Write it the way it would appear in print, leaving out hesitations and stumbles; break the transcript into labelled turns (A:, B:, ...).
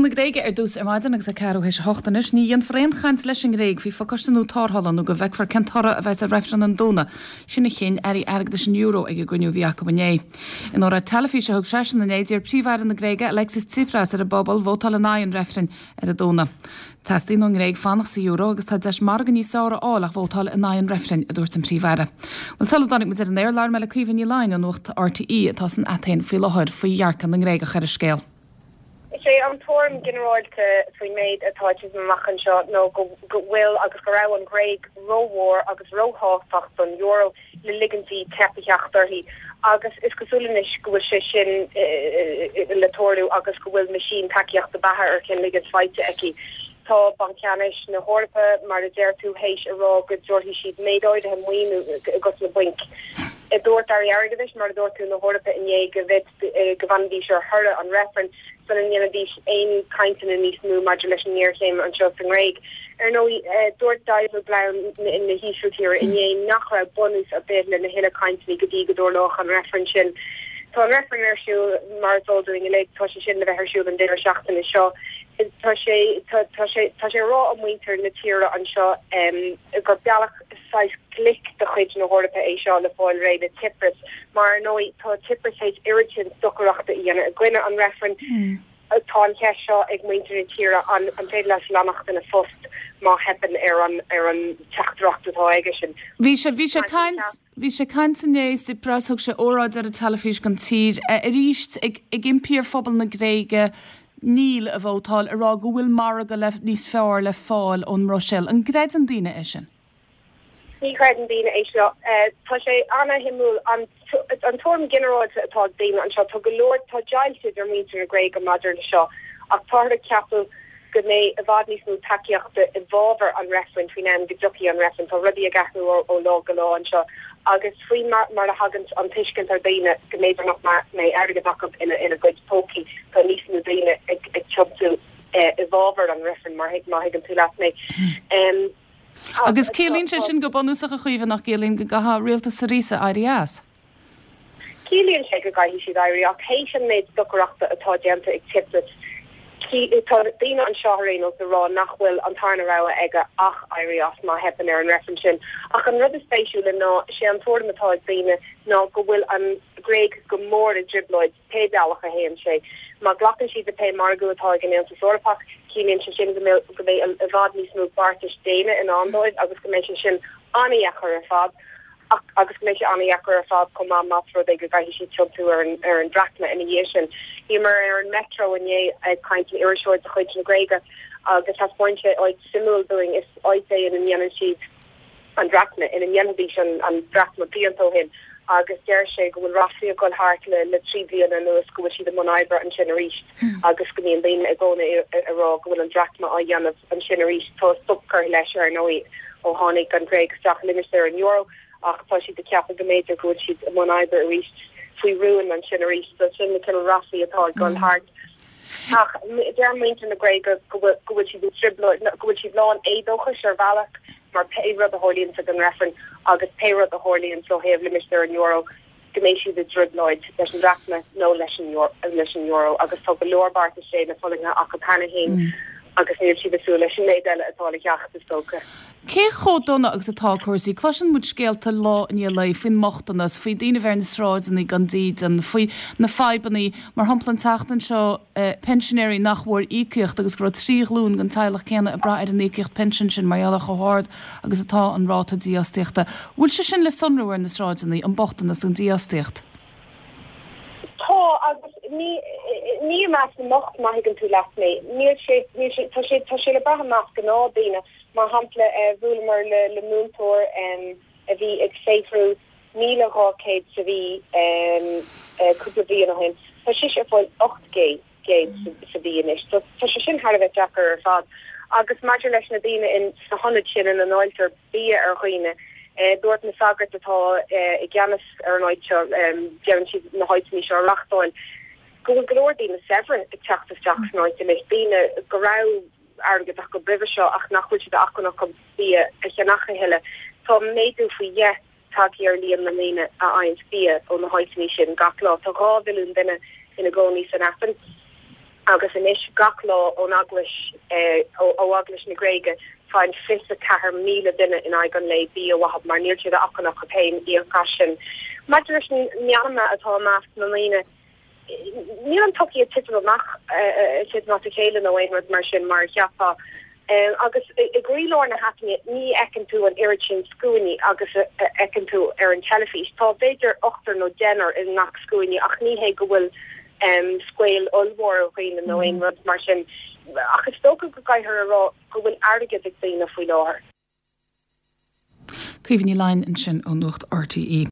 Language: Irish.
A: Scéal na Gréige ar dtús ar maidin agus é ceathrú théis a hocht anois. Ní dhéanfar aon chaint leis an nGréig faoi phacáiste nua tarrthála nó go bhfeicfear cén toradh a bheas ar reifreann an Domhnaigh. Sin a chinn airí airgeadais an euro ag an gcruinniú a bhí acu inné. In óráid teilifíse a thug seisean inné, d'iarr Príomh-Aire na Gréige, Alexis Tsipras, ar an bpobal vótáil in aghaidh an reifrinn ar an Domhnach. Teastaíonn ón nGréig fanacht sa euro agus tá deis margadh níos fearr a fháil ach vótáil in aghaidh an reifrinn, a dúirt an Príomh-Aire. Bhuel, sula dtáinig muid ar an aer, labhair mé le Caoimhe Ní Laighin ó Nuacht RTÉ atá san Atéin faoi láthair faoi dhearcadh na nGréagach ar an scéal.
B: Is é an tuairim ginearálta faoin méid atá ag titim amach anseo ná go bhfuil agus go raibh an Ghréig rómhór agus róthábhachtach don euro le ligint di teip a theacht uirthi agus is cosúil anois go bhfuil sé sin le tarlú agus go bhfuil meaisín tacaíochta beatha ar chian-ligint faighte aici. Tá Banc Ceannais na hEorpa, mar a deir tú, théis a rá go dtabharfaidh siad méid áirithe maoiniú dos na bainc. Dúirt Airí Airgeadais, mar a dúirt tú, na hEorpa inné go go bhfanfaidís ar thoradh an reifrinn sula ndéanfaidís aon chainteanna níos mó maidir leis an ngéarchéim anseo sa nGréig. Ar ndóigh, dúirt Dijsselbloem na hÍsiltíre inné nach raibh bunús ar bith lena thuilleadh cainteanna go dtí go dtarlódh an reifreann sin. Tá an reifreann ar siúl, mar is eol dúinn uilig, tá sé sin le bheith ar siúl an deireadh seachtaine seo. Tá sé, tá sé, tá sé á rá ag muintir na tíre anseo gur bealach saghas glic de chuid na hEorpa é seo le fáil réidh le Tsipras, mar ar ndóigh tá Tsipras théis oiread sin stocaireachta a dhéanamh i gcoinne an reifrinn. Tá an cheist seo ag muintir na tíre, an féidir leis leanacht ina phost má theipeann ar an ar an teachtaireacht atá aigesean?
A: Bhí sé, bhí sé ag caint, bhí sé ag caint inné, Tsipras, thug sé óráid ar an teilifís don tír, arís ag ag impí ar phobal na Gréige Níl a vótáil, ag rá go bhfuil margadh le níos fearr le fáil ón mBruiséil. An gcreideann daoine é sin?
B: Ní chreideann daoine é seo. Tá sé ana-shuimiúil an an tuairim ghinearálta atá ag daoine anseo. Tá go leor, tá deighilt idir muintir na Gréige maidir le seo ach táthar ag ceapadh go mbeidh i bhfad níos mó tacaíochta i bhfabhar an reifrinn faoin am go dtiocfaidh an reifreann. Tá rudaí ag athrú ó lá go lá anseo agus faoi mar a thagann an tuiscint ar dhaoine go mb'fhéidir nach mbeidh airgead acu ina gcuid pócaí, tá níos mó daoine ag tiontú i bhfabhar an reifrinn, má thuigeann tú leat mé.
A: Agus ciallaíonn sé sin go bunúsach, a Chaoimhe, nach gciallaíonn, go gcaithfidh rialtas Syriza éirí as?
B: Ciallaíonn sé go gcaithfidh siad éirí ach théis an méid stocaireachta atá déanta ag Tsipras, tá daoine anseo ar aon nós ag rá nach bhfuil an tarna rogha aige ach éirí as má theipeann ar an reifreann sin. Ach an rud is spéisiúla ná, sé an tuairim atá ag daoine ná go bhfuil an Ghréig go mór i dtrioblóid pé bealach a théann sé. Má ghlacann siad le pé margadh atá ag an Aontas Eorpach, ciallaíonn sé sin go mbeidh go mbeidh i bhfad níos mó beartais déine i ndán dóibh agus go mbeidh sé sin an-dheacair ar fad ach agus go mbeidh sé an-dheacair ar fad chomh maith más rud é go gcaithfidh siad tiontú ar an ar an drachma ina dhiaidh sin. Bhíomar ar an metro inné ag caint le iriseoir de chuid na Gréige agus thaispeáin sé áit suimiúil dúinn. Is áit é ina ndéanann siad an drachma, ina ndéanfaidís an drachma blianta ó shin agus deir sé go bhfuil ráflaí ag dul thart le 3 bliana anuas go bhfuil siad i mbun oibre ansin arís agus go mbíonn daoine i gcónaí ag rá go bhfuil an drachma á dhéanamh ansin arís. Tá stop curtha leis, ar ndóigh, ó tháinig an Ghréig isteach i limistéar an euro ach tá siad ag ceapadh go mb'fhéidir go bhfuil siad i mbun oibre arís faoi rún ansin arís. So sin na cineál ráflaí atá ag dul thart. Ach deir muintir na Gréige go bhfuil siad i dtrioblóid, go bhfuil siad lán éadóchais ar bhealach mar pé rud a tharlaíonns ag an reifreann agus pé rud a tharlaíonns ó thaobh limistéar an euro, go mbeidh siad i dtrioblóid leis an drachma nó leis an euro agus tá go leor beartais déine fulaingthe acu cheana féin agus níl siad ag súil leis an méid eile atá le theacht, is dócha.
A: Cé chomh dona agus atá cúrsaí? Cloiseann muid scéalta lá i ndiaidh lae faoin mbochtanas, faoi daoine a bheith ar na sráideanna gan dídean, faoi na fadhbanna, mar shampla an tseachtain seo pensinéirí nach bhfuair íocaíocht agus go raibh 3 ghlúin den teaghlach céanna ag brath ar an íocaíocht pinsin sin mar gheall ar chomh hard agus atá an ráta dífhostaíochta. Bhfuil sé sin le sonrú ar na sráideanna, an bochtanas, an dífhostaíocht?
B: Tá, agus ní, ní i measc na mbocht, má thuigeann tú leat mé. Níl sé, níl sé, tá sé, tá sé le brath i measc gnáthdhaoine. Mar shampla, bhuaileamar le múinteoir a bhí ag saothrú 1,200 sa mhí cúpla bliain ó shin. Tá sise ag fáil 800 sa mhí anois. Tá sé sin thar a bheith deacair ar fad. Agus maidir leis na daoine sna hionaid sin ina ndáiltear bia ar dhaoine, dúirt na sagairt atá i gceannas ar an áit seo, déanann siad na háiteanna seo a reáchtáil, go bhfuil go leor daoine saibhre ag teacht isteach san áit anois, daoine go raibh airgead acu roimhe seo ach nach bhfuil siad acmhainneach chun bia a cheannach a thuilleadh. Tá méadú faoi dheich tagtha ar líon na ndaoine a fhaigheanns bia ó na háiteanna sin gach lá. Tá 2 mhilliún duine ina gcónaí san Aithin. Agus anois gach lá ón Eaglais, ó Eaglais na Gréige, faigheann 24,000 duine in aghaidh an lae bia uathu mar níl sé d'acmhainn acu féin íoc as sin. Maidir leis an meanma atá i measc na ndaoine, níl an tsochaí ag titim amach, ag titim as a chéile nó aon rud mar sin mar a cheapfá. Agus i gcroílár na hAtaine ní fheiceann tú an oiread sin scuainí agus a fheiceann tú ar an teilifís. Tá b'fhéidir ochtar nó deichniúr i ngach scuaine ach ní hé go bhfuil scaoll ollmhór dhaoine nó aon rud mar sin. Ach is dócha go gcaithfear a rá go bhfuil airgead ag daoine faoi láthair.
A: Caoimhe Ní Laighin ansin ó Nuacht RTÉ.